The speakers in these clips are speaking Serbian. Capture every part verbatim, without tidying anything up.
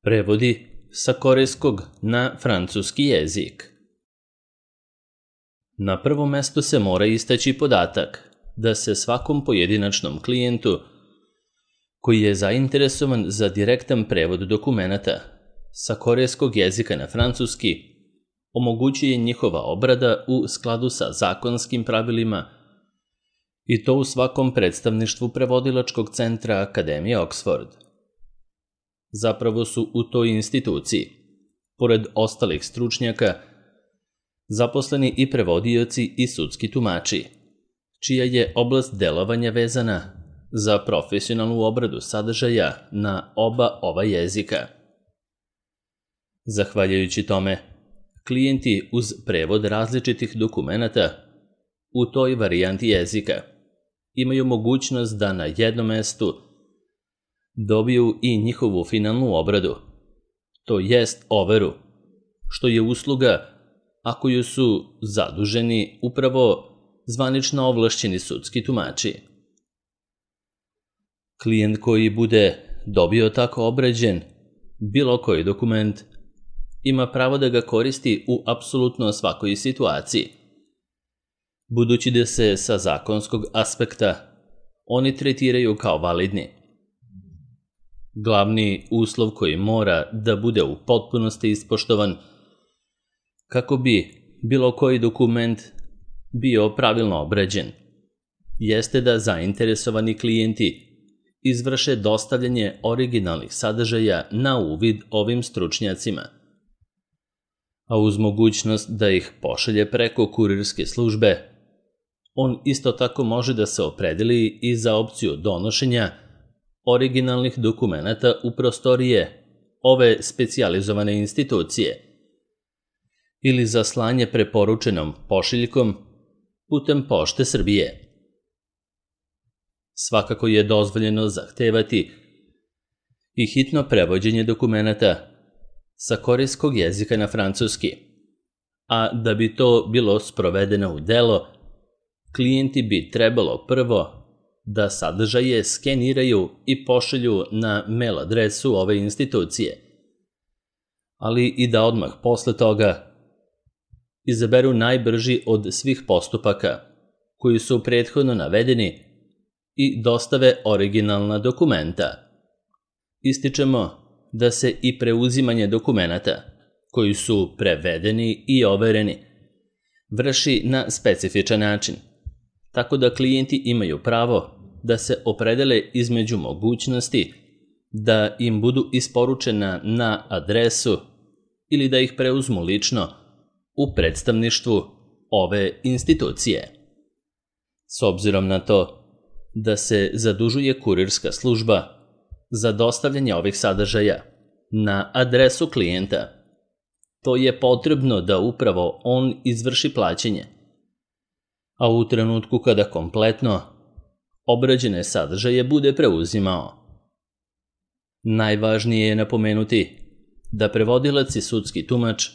Prevodi sa korejskog na francuski jezik. Na prvom mestu se mora istaći podatak da se svakom pojedinačnom klijentu koji je zainteresovan za direktan prevod dokumenata sa korejskog jezika na francuski omogućuje njihova obrada u skladu sa zakonskim pravilima i to u svakom predstavništvu prevodilačkog centra Akademije Oxford. Zapravo su u toj instituciji, pored ostalih stručnjaka, zaposleni i prevodioci i sudski tumači, čija je oblast delovanja vezana za profesionalnu obradu sadržaja na oba ova jezika. Zahvaljujući tome, klijenti uz prevod različitih dokumenata u toj varijanti jezika imaju mogućnost da na jednom mestu dobiju i njihovu finalnu obradu, to jest overu, što je usluga a koju su zaduženi upravo zvanično ovlašćeni sudski tumači. Klijent koji bude dobio tako obrađen bilo koji dokument ima pravo da ga koristi u apsolutno svakoj situaciji, budući da se sa zakonskog aspekta oni tretiraju kao validni. Glavni uslov koji mora da bude u potpunosti ispoštovan kako bi bilo koji dokument bio pravilno obrađen, jeste da zainteresovani klijenti izvrše dostavljanje originalnih sadržaja na uvid ovim stručnjacima, a uz mogućnost da ih pošalje preko kurirske službe, on isto tako može da se opredeli i za opciju donošenja originalnih dokumenata u prostorije ove specijalizovane institucije ili za slanje preporučenom pošiljkom putem Pošte Srbije. Svakako je dozvoljeno zahtevati i hitno prevođenje dokumenata sa korejskog jezika na francuski, a da bi to bilo sprovedeno u delo, klijenti bi trebalo prvo da sadržaje skeniraju i pošalju na mail adresu ove institucije, ali i da odmah posle toga izaberu najbrži od svih postupaka koji su prethodno navedeni i dostave originalna dokumenta. Ističemo da se i preuzimanje dokumenata koji su prevedeni i overeni vrši na specifičan način, tako da klijenti imaju pravo da se opredele između mogućnosti da im budu isporučena na adresu ili da ih preuzmu lično u predstavništvu ove institucije. S obzirom na to da se zadužuje kurirska služba za dostavljanje ovih sadržaja na adresu klijenta, to je potrebno da upravo on izvrši plaćanje, a u trenutku kada kompletno obrađene sadržaje bude preuzimao. Najvažnije je napomenuti da prevodilac i sudski tumač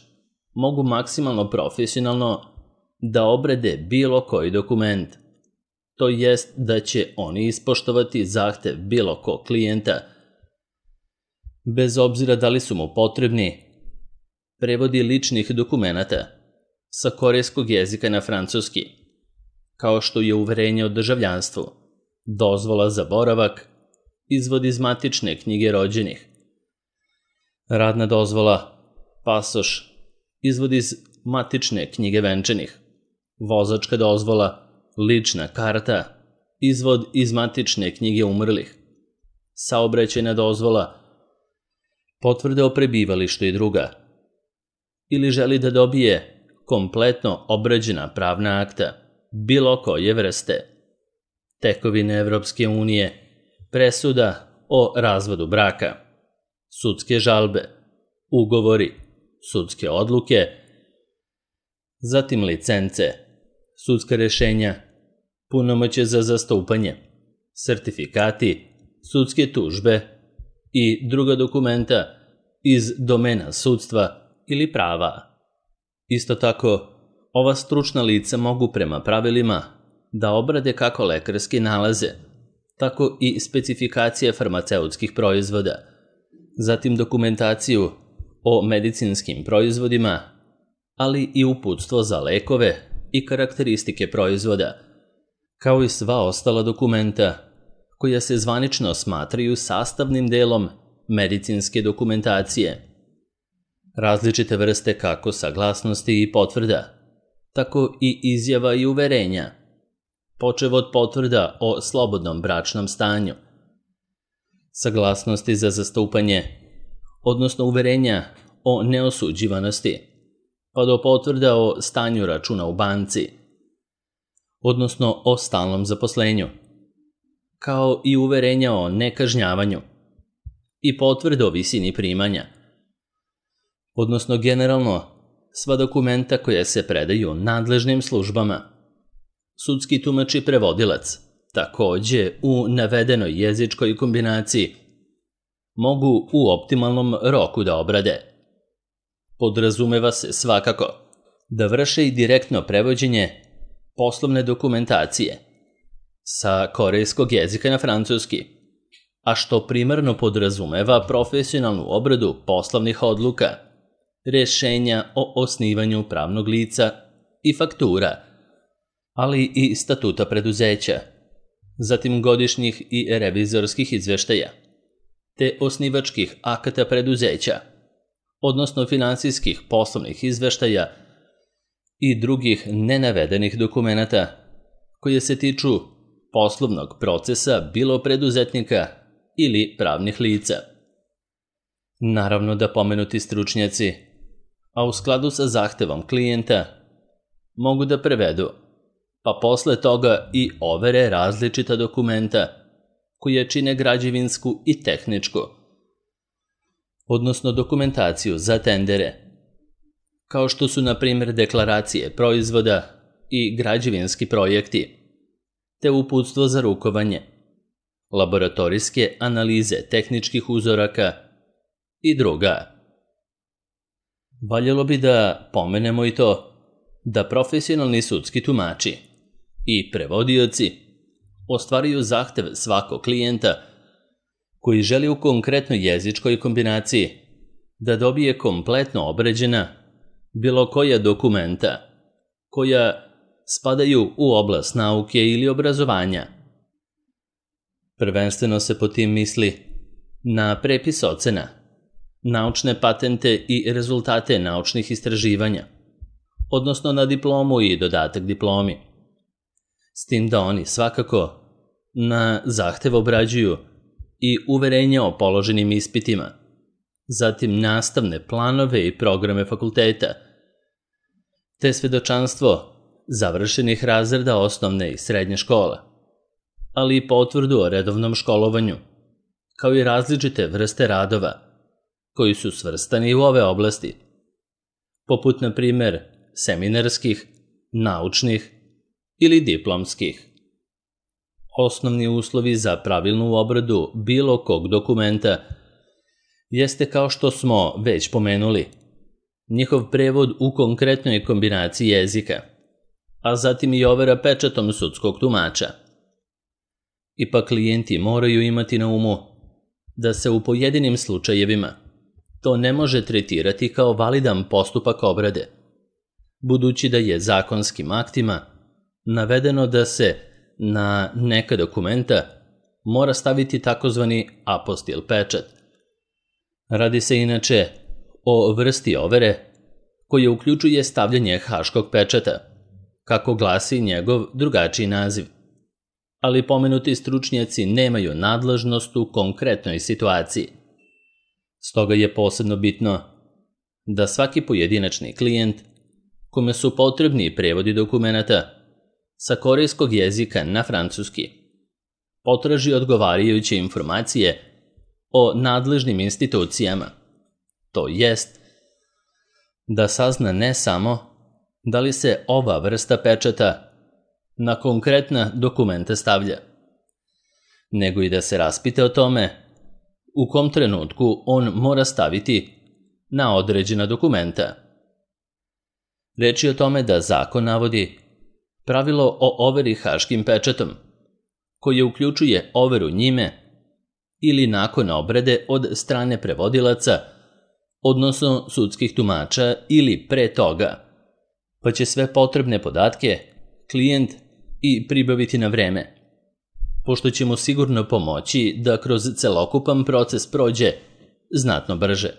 mogu maksimalno profesionalno da obrade bilo koji dokument, to jest da će oni ispoštovati zahtev bilo kog klijenta, bez obzira da li su mu potrebni prevodi ličnih dokumenata sa korejskog jezika na francuski, kao što je uverenje o državljanstvu, dozvola za boravak, izvod iz matične knjige rođenih, radna dozvola, pasoš, izvod iz matične knjige venčanih, vozačka dozvola, lična karta, izvod iz matične knjige umrlih, saobraćajna dozvola, potvrda o prebivalištu i druga, ili želi da dobije kompletno obrađena pravna akta bilo koje vrste, tekovine Evropske unije, presuda o razvodu braka, sudske žalbe, ugovori, sudske odluke, zatim licence, sudska rešenja, punomoćje za zastupanje, sertifikati, sudske tužbe i druga dokumenta iz domena sudstva ili prava. Isto tako, ova stručna lica mogu prema pravilima da obrade kako lekarske nalaze, tako i specifikacije farmaceutskih proizvoda, zatim dokumentaciju o medicinskim proizvodima, ali i uputstvo za lekove i karakteristike proizvoda, kao i sva ostala dokumenta koja se zvanično smatraju sastavnim delom medicinske dokumentacije. Različite vrste kako saglasnosti i potvrda, tako i izjava i uverenja, počev od potvrda o slobodnom bračnom stanju, saglasnosti za zastupanje, odnosno uverenja o neosuđivanosti, pa do potvrda o stanju računa u banci, odnosno o stalnom zaposlenju, kao i uverenja o nekažnjavanju i potvrde o visini primanja, odnosno generalno sva dokumenta koja se predaju nadležnim službama. Sudski tumač i prevodilac, takođe u navedenoj jezičkoj kombinaciji, mogu u optimalnom roku da obrade. Podrazumeva se svakako da vrše i direktno prevođenje poslovne dokumentacije sa korejskog jezika na francuski, a što primarno podrazumeva profesionalnu obradu poslovnih odluka, rešenja o osnivanju pravnog lica i faktura, ali i statuta preduzeća, zatim godišnjih i revizorskih izveštaja, te osnivačkih akata preduzeća, odnosno finansijskih poslovnih izveštaja i drugih nenavedenih dokumenata koje se tiču poslovnog procesa bilo preduzetnika ili pravnih lica. Naravno da pomenuti stručnjaci, a u skladu sa zahtevom klijenta, mogu da prevedu, pa posle toga i overe različita dokumenta koje čine građevinsku i tehničku, odnosno dokumentaciju za tendere, kao što su na primjer deklaracije proizvoda i građevinski projekti, te uputstvo za rukovanje, laboratorijske analize tehničkih uzoraka i druga. Valjalo bi da pomenemo i to da profesionalni sudski tumači i prevodioci ostvaruju zahtev svakog klijenta koji želi u konkretnoj jezičkoj kombinaciji da dobije kompletno obrađena bilo koja dokumenta koja spadaju u oblast nauke ili obrazovanja. Prvenstveno se po tim misli na prepis ocena, naučne patente i rezultate naučnih istraživanja, odnosno na diplomu i dodatak diplomi. S tim da oni svakako na zahtev obrađuju i uverenja o položenim ispitima, zatim nastavne planove i programe fakulteta, te svedočanstvo završenih razreda osnovne i srednje škole, ali i potvrdu o redovnom školovanju, kao i različite vrste radova koji su svrstani u ove oblasti, poput na primer seminarskih, naučnih ili diplomskih. Osnovni uslovi za pravilnu obradu bilo kog dokumenta jeste, kao što smo već pomenuli, njihov prevod u konkretnoj kombinaciji jezika, a zatim i overa pečatom sudskog tumača. Ipak klijenti moraju imati na umu da se u pojedinim slučajevima to ne može tretirati kao validan postupak obrade, budući da je zakonskim aktima navedeno da se na neka dokumenta mora staviti takozvani apostil pečat. Radi se inače o vrsti overe koja uključuje stavljanje haškog pečata, kako glasi njegov drugačiji naziv, ali pomenuti stručnjaci nemaju nadležnost u konkretnoj situaciji. Stoga je posebno bitno da svaki pojedinačni klijent kome su potrebni prevodi dokumenata sa korejskog jezika na francuski potraži odgovarajuće informacije o nadležnim institucijama, to jest da sazna ne samo da li se ova vrsta pečata na konkretna dokumenta stavlja, nego i da se raspita o tome u kom trenutku on mora staviti na određena dokumenta. Reč je o tome da zakon navodi pravilo o overi haškim pečatom, koje uključuje overu njime ili nakon obrade od strane prevodilaca, odnosno sudskih tumača ili pre toga, pa će sve potrebne podatke klijent i pribaviti na vreme, pošto će mu sigurno pomoći da kroz celokupan proces prođe znatno brže.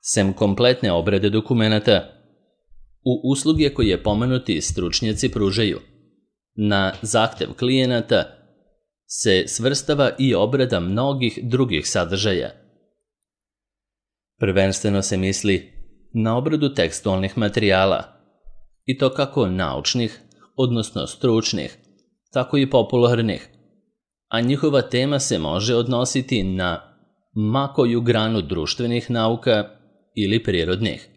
Sem kompletne obrade dokumenata, u usluge koje pomenuti stručnjaci pružaju, na zahtev klijenata se svrstava i obrada mnogih drugih sadržaja. Prvenstveno se misli na obradu tekstualnih materijala, i to kako naučnih, odnosno stručnih, tako i popularnih, a njihova tema se može odnositi na ma koju granu društvenih nauka ili prirodnih.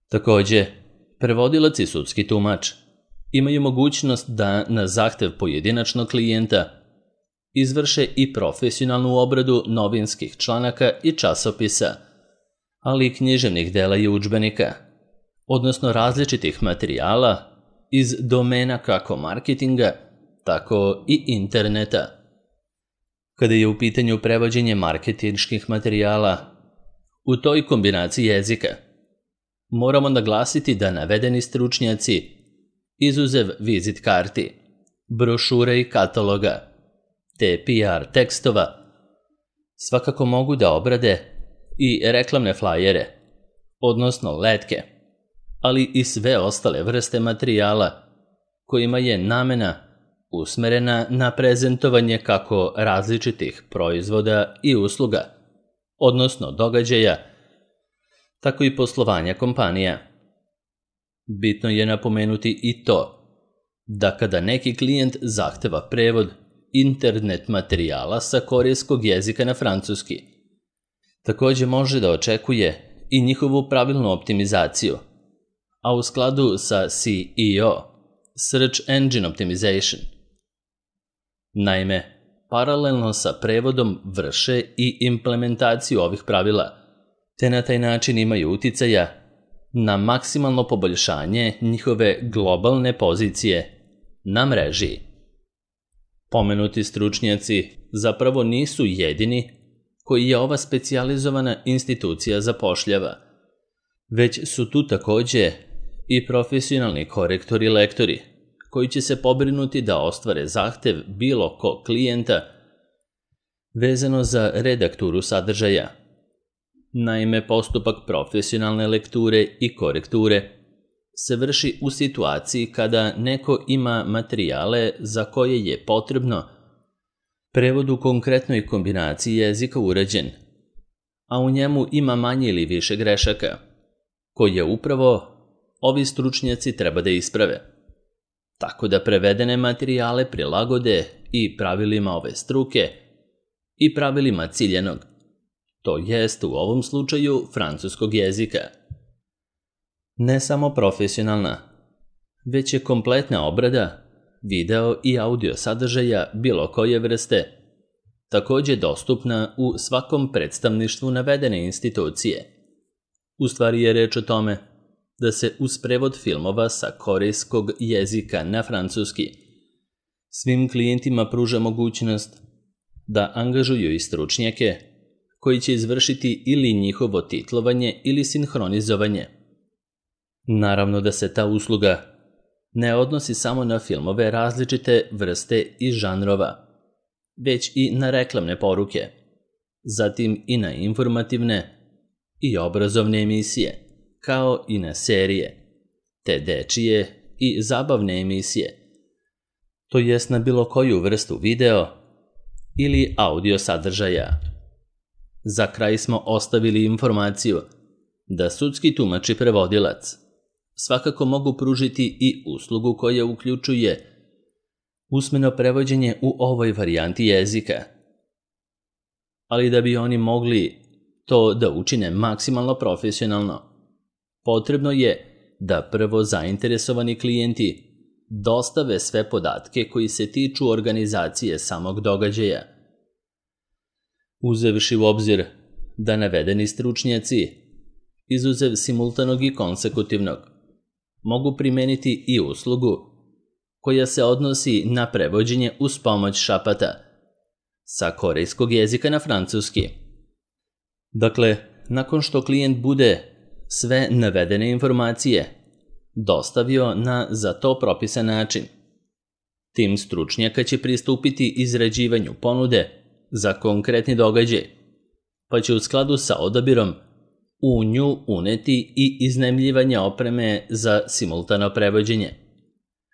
Takođe, prevodilac i sudski tumač imaju mogućnost da na zahtev pojedinačnog klijenta izvrše i profesionalnu obradu novinskih članaka i časopisa, ali i književnih dela i udžbenika, odnosno različitih materijala iz domena kako marketinga, tako i interneta. Kada je u pitanju prevođenje marketinških materijala, u toj kombinaciji jezika moramo naglasiti da navedeni stručnjaci, izuzev vizit karti, brošure i kataloga, te P R tekstova, svakako mogu da obrade i reklamne flajere, odnosno letke, ali i sve ostale vrste materijala kojima je namena usmerena na prezentovanje kako različitih proizvoda i usluga, odnosno događaja, tako i poslovanja kompanija. Bitno je napomenuti i to da kada neki klijent zahteva prevod internet materijala sa korejskog jezika na francuski, takođe može da očekuje i njihovu pravilnu optimizaciju, a u skladu sa S E O, Search Engine Optimization. Naime, paralelno sa prevodom vrše i implementaciju ovih pravila, te na taj način imaju uticaja na maksimalno poboljšanje njihove globalne pozicije na mreži. Pomenuti stručnjaci zapravo nisu jedini koji je ova specijalizovana institucija zapošljava, već su tu takođe i profesionalni korektori i lektori, koji će se pobrinuti da ostvare zahtev bilo kog klijenta vezano za redakturu sadržaja. Naime, postupak profesionalne lekture i korekture se vrši u situaciji kada neko ima materijale za koje je potrebno prevod u konkretnoj kombinaciji jezika urađen, a u njemu ima manje ili više grešaka, koje upravo ovi stručnjaci treba da isprave, tako da prevedene materijale prilagode i pravilima ove struke i pravilima ciljenog, to jest u ovom slučaju francuskog jezika. Ne samo profesionalna, već je kompletna obrada video i audio sadržaja bilo koje vrste takođe dostupna u svakom predstavništvu navedene institucije. U stvari je reč o tome da se uz prevod filmova sa korejskog jezika na francuski svim klijentima pruža mogućnost da angažuju i stručnjake koji će izvršiti ili njihovo titlovanje ili sinhronizovanje. Naravno da se ta usluga ne odnosi samo na filmove različite vrste i žanrova, već i na reklamne poruke, zatim i na informativne i obrazovne emisije, kao i na serije, te dečije i zabavne emisije, to jest na bilo koju vrstu video ili audio sadržaja. Za kraj smo ostavili informaciju da sudski tumač i prevodilac svakako mogu pružiti i uslugu koja uključuje usmeno prevođenje u ovoj varijanti jezika. Ali da bi oni mogli to da učine maksimalno profesionalno, potrebno je da prvo zainteresovani klijenti dostave sve podatke koji se tiču organizacije samog događaja. Uzevši u obzir da navedeni stručnjaci, izuzev simultanog i konsekutivnog, mogu primeniti i uslugu koja se odnosi na prevođenje uz pomoć šapata. sa korejskog jezika na francuski. Dakle, nakon što klijent bude sve navedene informacije dostavio na za to propisan način, tim stručnjaka će pristupiti izrađivanju ponude za konkretni događaj, pa će u skladu sa odabirom u nju uneti i iznajmljivanje opreme za simultano prevođenje,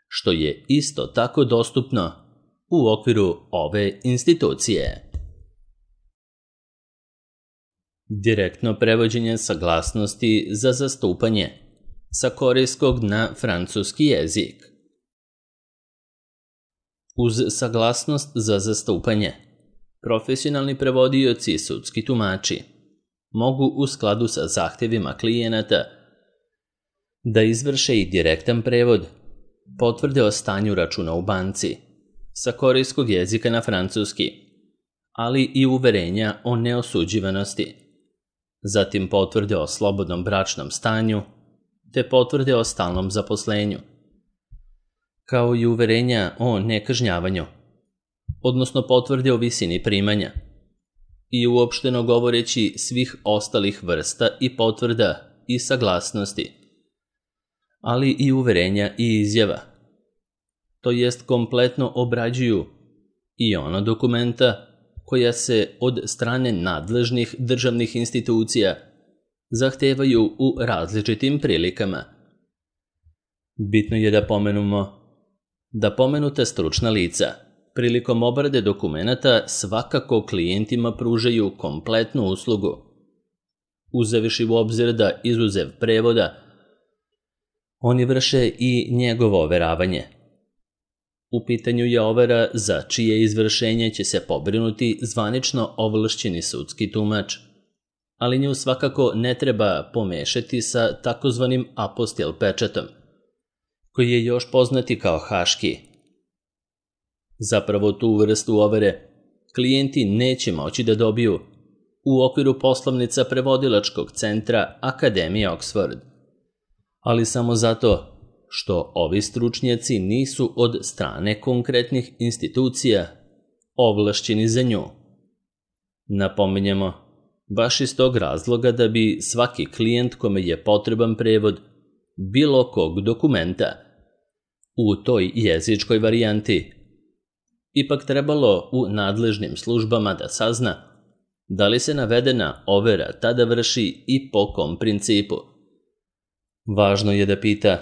što je isto tako dostupno u okviru ove institucije. Direktno prevođenje saglasnosti za zastupanje sa korejskog na francuski jezik. Uz saglasnost za zastupanje, profesionalni prevodioci i sudski tumači mogu u skladu sa zahtjevima klijenata da izvrše i direktan prevod, potvrde o stanju računa u banci sa korejskog jezika na francuski, ali i uverenja o neosuđivanosti, zatim potvrde o slobodnom bračnom stanju, te potvrde o stalnom zaposlenju, kao i uverenja o nekažnjavanju, odnosno potvrde o visini primanja, i uopšteno govoreći svih ostalih vrsta i potvrda i saglasnosti, ali i uverenja i izjava, to jest kompletno obrađuju i ona dokumenta koja se od strane nadležnih državnih institucija zahtevaju u različitim prilikama. Bitno je da pomenemo da pomenuta stručna lica prilikom obrade dokumenata svakako klijentima pružaju kompletnu uslugu, uzevši u obzir da izuzev prevoda, oni vrše i njegovo overavanje. U pitanju je overa za čije izvršenje će se pobrinuti zvanično ovlašćeni sudski tumač, ali nju svakako ne treba pomešati sa takozvanim apostil pečatom, koji je još poznati kao haški. Zapravo tu vrstu overe klijenti neće moći da dobiju u okviru poslovnica prevodilačkog centra Akademije Oxford, ali samo zato što ovi stručnjaci nisu od strane konkretnih institucija ovlašćeni za nju. Napominjemo, baš iz tog razloga da bi svaki klijent kome je potreban prevod bilo kog dokumenta u toj jezičkoj varijanti ipak trebalo u nadležnim službama da sazna da li se navedena overa tada vrši i po kom principu. Važno je da pita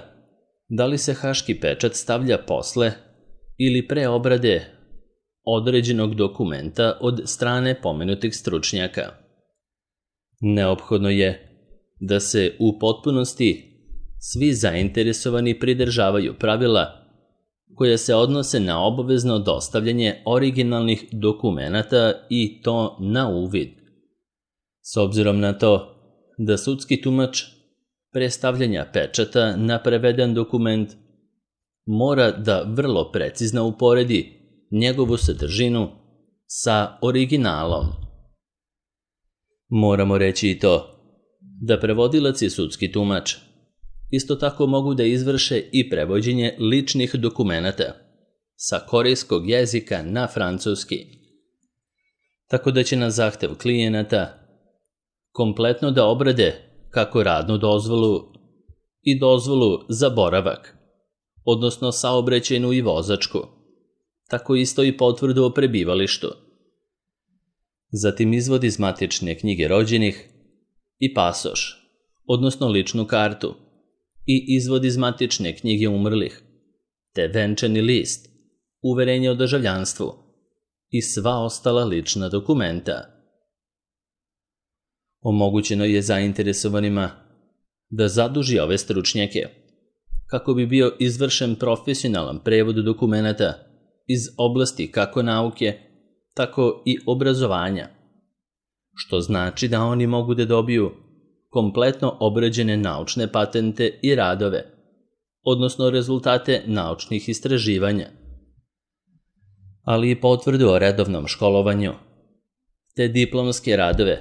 da li se haški pečat stavlja posle ili pre obrade određenog dokumenta od strane pomenutih stručnjaka. Neophodno je da se u potpunosti svi zainteresovani pridržavaju pravila koja se odnose na obavezno dostavljanje originalnih dokumenata i to na uvid. S obzirom na to da sudski tumač pre stavljanja pečata na preveden dokument mora da vrlo precizno uporedi njegovu sadržinu sa originalom. Moramo reći i to da prevodilac i sudski tumač isto tako mogu da izvrše i prevođenje ličnih dokumenata sa korejskog jezika na francuski, tako da će na zahtev klijenata kompletno da obrade kako radnu dozvolu i dozvolu za boravak, odnosno saobraćajnu i vozačku, tako isto i potvrdu o prebivalištu. Zatim izvod iz matične knjige rođenih i pasoš, odnosno ličnu kartu, i izvod iz matične knjige umrlih, te venčani list, uverenje o državljanstvu i sva ostala lična dokumenta. Omogućeno je zainteresovanima da zaduži ove stručnjake kako bi bio izvršen profesionalan prevod dokumenata iz oblasti kako nauke, tako i obrazovanja, što znači da oni mogu da dobiju kompletno obrađene naučne patente i radove, odnosno rezultate naučnih istraživanja, ali i potvrdu o redovnom školovanju, te diplomske radove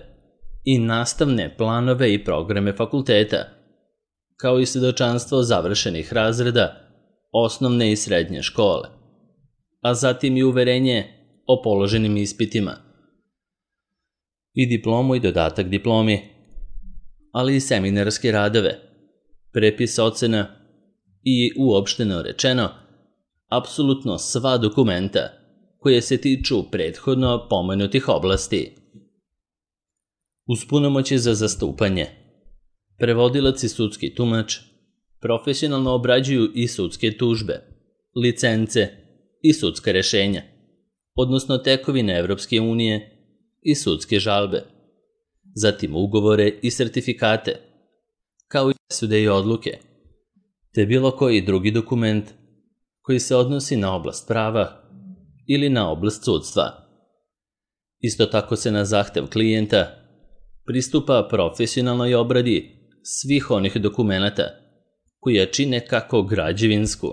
i nastavne planove i programe fakulteta, kao i svedočanstvo završenih razreda osnovne i srednje škole, a zatim i uverenje o položenim ispitima i diplomu i dodatak diplomi, ali i seminarske radove, prepis ocena i, uopšteno rečeno, apsolutno sva dokumenta koje se tiču prethodno pomenutih oblasti. Uz punomoći za zastupanje, prevodilac i sudski tumač profesionalno obrađuju i sudske tužbe, licence i sudska rešenja, odnosno tekovine Evropske unije i sudske žalbe, zatim ugovore i sertifikate, kao i presude i odluke, te bilo koji drugi dokument koji se odnosi na oblast prava ili na oblast sudstva. Isto tako se na zahtev klijenta pristupa profesionalnoj obradi svih onih dokumenata koja čine kako građevinsku,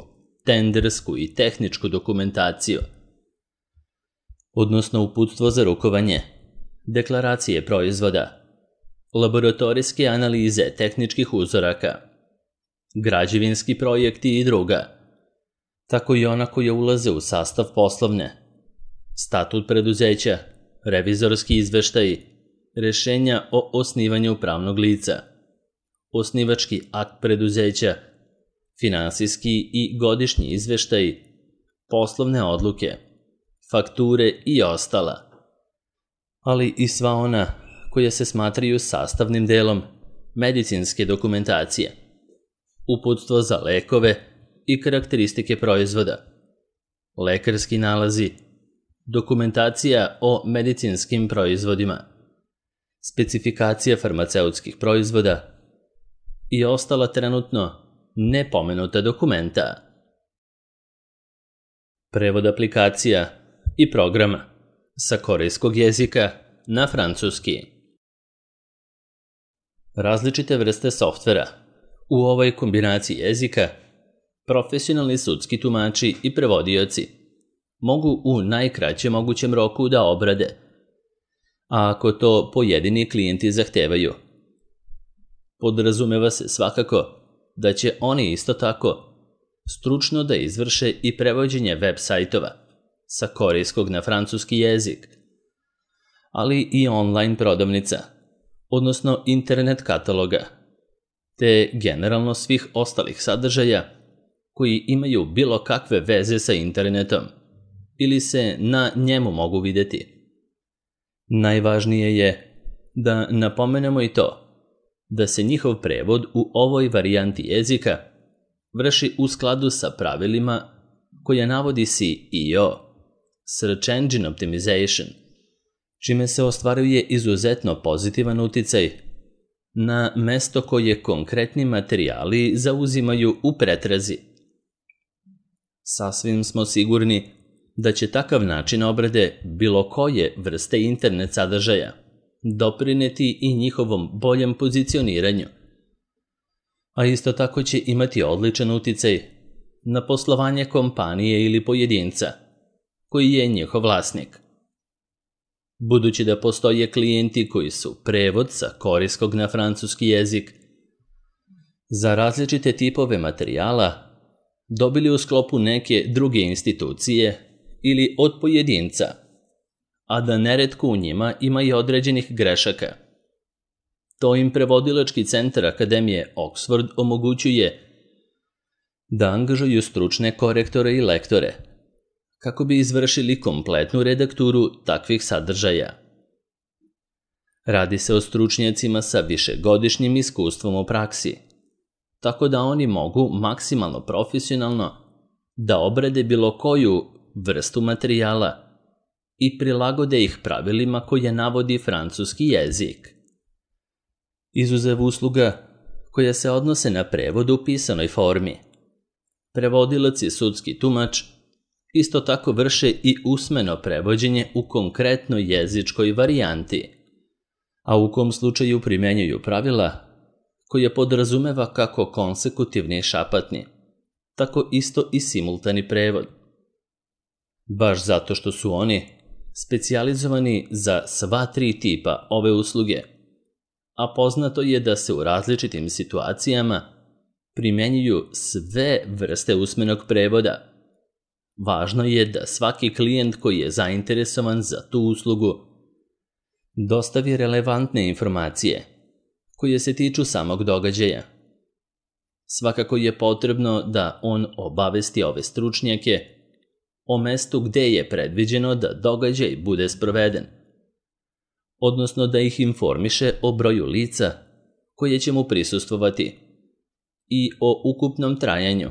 tendersku i tehničku dokumentaciju, odnosno uputstvo za rukovanje, deklaracije proizvoda, laboratorijske analize tehničkih uzoraka, građevinski projekti i druga, tako i ona koja ulaze u sastav poslovne, statut preduzeća, revizorski izveštaji, rešenja o osnivanju pravnog lica, osnivački akt preduzeća, finansijski i godišnji izveštaji, poslovne odluke, fakture i ostala, ali i sva ona koja se smatraju sastavnim delom medicinske dokumentacije, uputstvo za lekove i karakteristike proizvoda, lekarski nalazi, dokumentacija o medicinskim proizvodima, specifikacija farmaceutskih proizvoda i ostala trenutno nepomenuta dokumenta. Prevod aplikacija i programa sa korejskog jezika na francuski. Različite vrste softvera. U ovoj kombinaciji jezika profesionalni sudski tumači i prevodioci mogu u najkraćem mogućem roku da obrade, a ako to pojedini klijenti zahtevaju. Podrazumeva se svakako da će oni isto tako stručno da izvrše i prevođenje web sajtova sa korejskog na francuski jezik, ali i online prodavnica, odnosno internet kataloga, te generalno svih ostalih sadržaja koji imaju bilo kakve veze sa internetom ili se na njemu mogu videti. Najvažnije je da napomenemo i to da se njihov prevod u ovoj varijanti jezika vrši u skladu sa pravilima koja navodi S E O, Search Engine Optimization, čime se ostvaruje izuzetno pozitivan uticaj na mesto koje konkretni materijali zauzimaju u pretrazi. Sasvim smo sigurni da će takav način obrade bilo koje vrste internet sadržaja doprineti i njihovom boljem pozicioniranju, a isto tako će imati odličan uticaj na poslovanje kompanije ili pojedinca koji je njihov vlasnik. Budući da postoje klijenti koji su prevod sa korejskog na francuski jezik za različite tipove materijala dobili u sklopu neke druge institucije ili od pojedinca, a da neretko u njima ima i određenih grešaka. To im prevodilački centar Akademije Oxford omogućuje da angažuju stručne korektore i lektore kako bi izvršili kompletnu redakturu takvih sadržaja. Radi se o stručnjacima sa višegodišnjim iskustvom u praksi, tako da oni mogu maksimalno profesionalno da obrade bilo koju vrstu materijala i prilagode ih pravilima koje navodi francuski jezik. Izuzev usluga koja se odnose na prevod u pisanoj formi, prevodilac i sudski tumač isto tako vrše i usmeno prevođenje u konkretnoj jezičkoj varijanti, a u kom slučaju primenjuju pravila koje podrazumeva kako konsekutivni i šapatni, tako isto i simultani prevod. Baš zato što su oni specijalizovani za sva tri tipa ove usluge, a poznato je da se u različitim situacijama primenjuju sve vrste usmenog prevoda, važno je da svaki klijent koji je zainteresovan za tu uslugu dostavi relevantne informacije koje se tiču samog događaja. Svakako je potrebno da on obavesti ove stručnjake o mestu gde je predviđeno da događaj bude sproveden, odnosno da ih informiše o broju lica koje će mu prisustvovati i o ukupnom trajanju.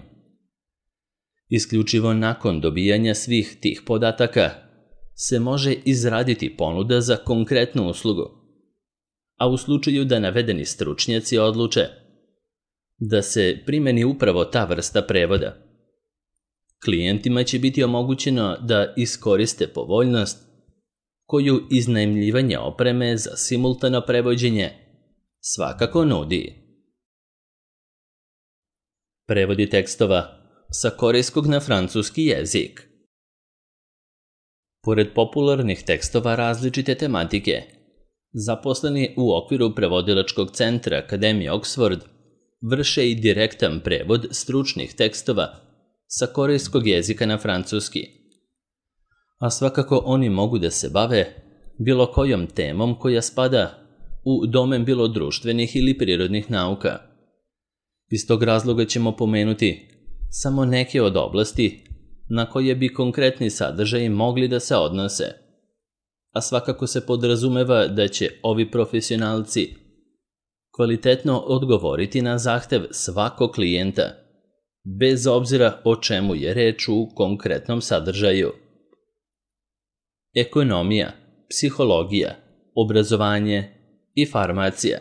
Isključivo nakon dobijanja svih tih podataka se može izraditi ponuda za konkretnu uslugu, a u slučaju da navedeni stručnjaci odluče da se primeni upravo ta vrsta prevoda, klijentima će biti omogućeno da iskoriste povoljnost koju iznajmljivanje opreme za simultano prevođenje svakako nudi. Prevodi tekstova sa korejskog na francuski jezik. Pored popularnih tekstova različite tematike, zaposleni u okviru prevodilačkog centra Akademije Oxford vrše i direktan prevod stručnih tekstova sa korejskog jezika na francuski. A svakako oni mogu da se bave bilo kojom temom koja spada u domen bilo društvenih ili prirodnih nauka. Iz tog razloga ćemo pomenuti samo neke od oblasti na koje bi konkretni sadržaji mogli da se odnose, a svakako se podrazumeva da će ovi profesionalci kvalitetno odgovoriti na zahtev svakog klijenta, bez obzira o čemu je reč u konkretnom sadržaju. Ekonomija, psihologija, obrazovanje i farmacija,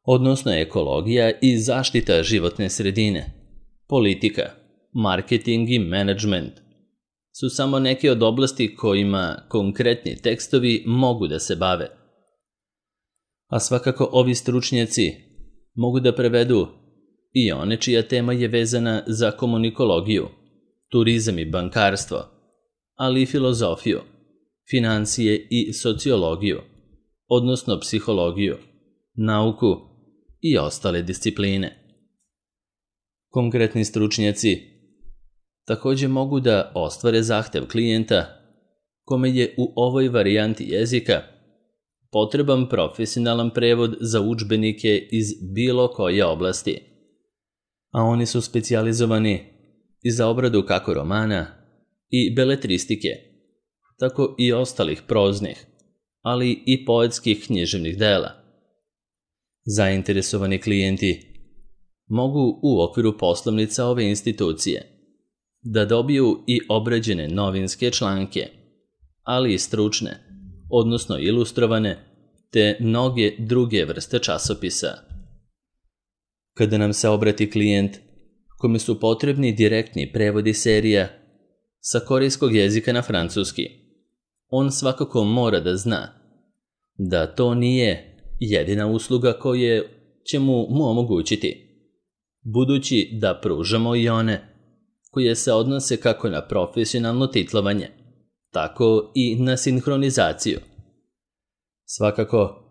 odnosno ekologija i zaštita životne sredine, politika, marketing i menadžment su samo neke od oblasti kojima konkretni tekstovi mogu da se bave. A svakako ovi stručnjaci mogu da prevedu i one čija tema je vezana za komunikologiju, turizam i bankarstvo, ali i filozofiju, financije i sociologiju, odnosno psihologiju, nauku i ostale discipline. Konkretni stručnjaci takođe mogu da ostvare zahtev klijenta kome je u ovoj varijanti jezika potreban profesionalan prevod za udžbenike iz bilo koje oblasti, a oni su specijalizovani i za obradu kako romana i beletristike, tako i ostalih proznih, ali i poetskih književnih dela. Zainteresovani klijenti mogu u okviru poslovnica ove institucije da dobiju i obrađene novinske članke, ali i stručne, odnosno ilustrovane, te mnoge druge vrste časopisa. Kada nam se obrati klijent kome su potrebni direktni prevodi serija sa korejskog jezika na francuski, on svakako mora da zna da to nije jedina usluga koja će mu, mu omogućiti, budući da pružamo i one koje se odnose kako na profesionalno titlovanje, tako i na sinhronizaciju. Svakako,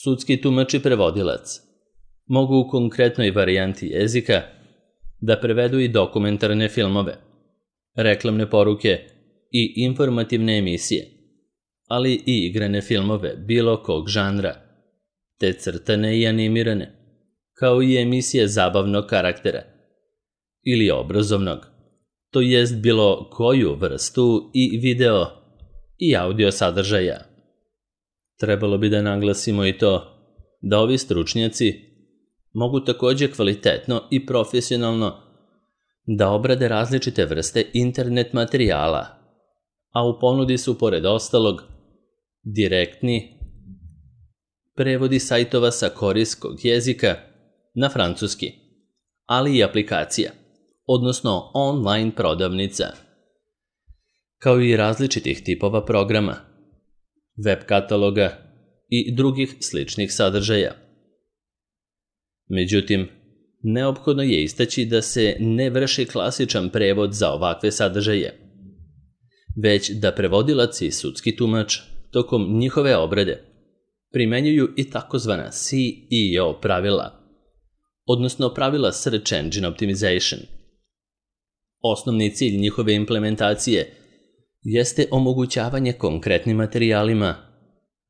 sudski tumač i prevodilac mogu u konkretnoj varijanti jezika da prevedu i dokumentarne filmove, reklamne poruke i informativne emisije, ali i igrane filmove bilo kog žanra, te crtane i animirane, kao i emisije zabavnog karaktera ili obrazovnog, to jest bilo koju vrstu i video i audio sadržaja. Trebalo bi da naglasimo i to da ovi stručnjaci mogu takođe kvalitetno i profesionalno da obrade različite vrste internet materijala, a u ponudi su pored ostalog direktni prevodi sajtova sa korejskog jezika na francuski, ali i aplikacija, odnosno online prodavnica, kao i različitih tipova programa, web kataloga i drugih sličnih sadržaja. Međutim, neophodno je istaći da se ne vrši klasičan prevod za ovakve sadržaje, već da prevodilac i sudski tumač tokom njihove obrade primenjuju i takozvana C E O pravila, odnosno pravila Search Engine Optimization. Osnovni cilj njihove implementacije jeste omogućavanje konkretnim materijalima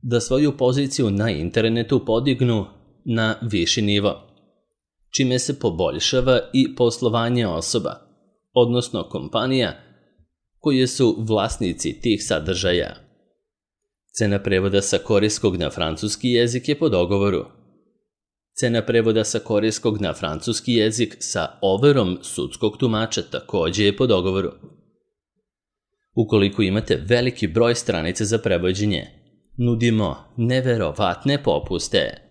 da svoju poziciju na internetu podignu na viši nivo, čime se poboljšava i poslovanje osoba, odnosno kompanija koje su vlasnici tih sadržaja. Cena prevoda sa korejskog na francuski jezik je po dogovoru. Cena prevoda sa korejskog na francuski jezik sa overom sudskog tumača takođe je po dogovoru. Ukoliko imate veliki broj stranica za prevođenje, nudimo neverovatne popuste.